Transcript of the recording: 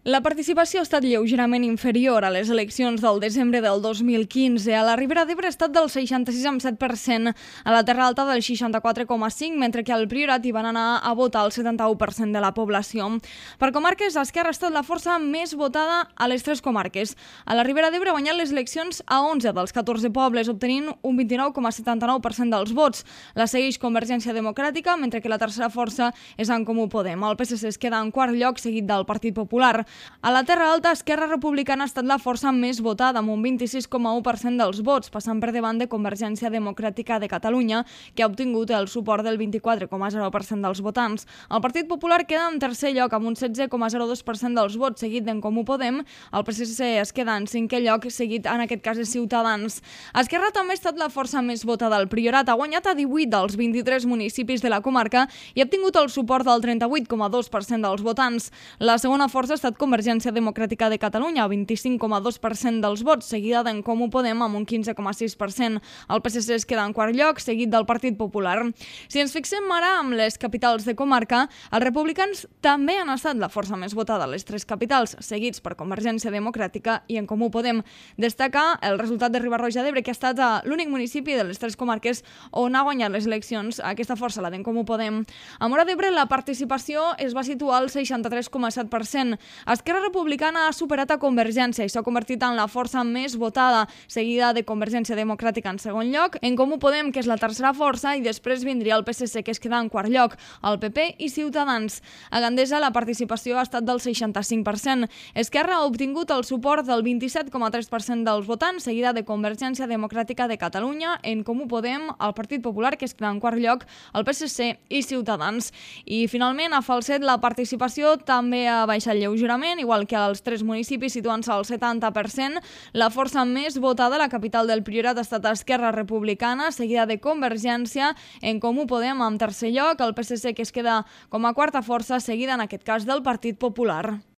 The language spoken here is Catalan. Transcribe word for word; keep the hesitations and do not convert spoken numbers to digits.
La participació ha estat lleugerament inferior a les eleccions del desembre del dos mil quinze. A la Ribera d'Ebre ha estat del seixanta-sis coma set per cent, a la Terra Alta del seixanta-quatre coma cinc per cent, mentre que al Priorat hi van anar a votar el setanta-u per cent de la població. Per comarques, Esquerra ha estat la força més votada a les tres comarques. A la Ribera d'Ebre ha guanyat les eleccions a onze dels catorze pobles, obtenint un vint-i-nou coma setanta-nou per cent dels vots. La segueix Convergència Democràtica, mentre que la tercera força és En Comú Podem. El P S C es queda en quart lloc, seguit del Partit Popular. A la Terra Alta, Esquerra Republicana ha estat la força més votada, amb un vint-i-sis coma u per cent dels vots, passant per davant de Convergència Democràtica de Catalunya, que ha obtingut el suport del vint-i-quatre coma zero per cent dels votants. El Partit Popular queda en tercer lloc, amb un setze coma zero dos per cent dels vots, seguit d'En Comú Podem. El P S C es queda en cinquè lloc, seguit en aquest cas de Ciutadans. Esquerra també ha estat la força més votada al Priorat, ha guanyat a divuit dels vint-i-tres municipis de la comarca i ha obtingut el suport del trenta-vuit coma dos per cent dels votants. La segona força ha estat Convergència Democràtica de Catalunya, vint-i-cinc coma dos per cent dels vots, seguida d'En Comú Podem amb un quinze coma sis per cent. El P S C es queda en quart lloc, seguit del Partit Popular. Si ens fixem ara amb les capitals de comarca, els republicans també han estat la força més votada a les tres capitals, seguits per Convergència Democràtica i En Comú Podem. Destacar el resultat de Riba-roja d'Ebre, que ha estat l'únic municipi de les tres comarques on ha guanyat les eleccions aquesta força, la d'En Comú Podem. A Móra d'Ebre la participació es va situar al seixanta-tres coma set per cent. Esquerra Republicana ha superat a Convergència i s'ha convertit en la força més votada, seguida de Convergència Democràtica en segon lloc, En Comú Podem, que és la tercera força, i després vindria el P S C, que es queda en quart lloc, el P P i Ciutadans. A Gandesa la participació ha estat del seixanta-cinc per cent. Esquerra ha obtingut el suport del vint-i-set coma tres per cent dels votants, seguida de Convergència Democràtica de Catalunya, En Comú Podem, el Partit Popular, que es queda en quart lloc, el P S C i Ciutadans. I finalment, a Falset la participació també ha baixat lleugerament, igual que als tres municipis, situant-se al setanta per cent. La força més votada a la capital del Priorat ha estat Esquerra Republicana, seguida de Convergència, En Comú Podem en tercer lloc, el P S C, que es queda com a quarta força, seguida en aquest cas del Partit Popular.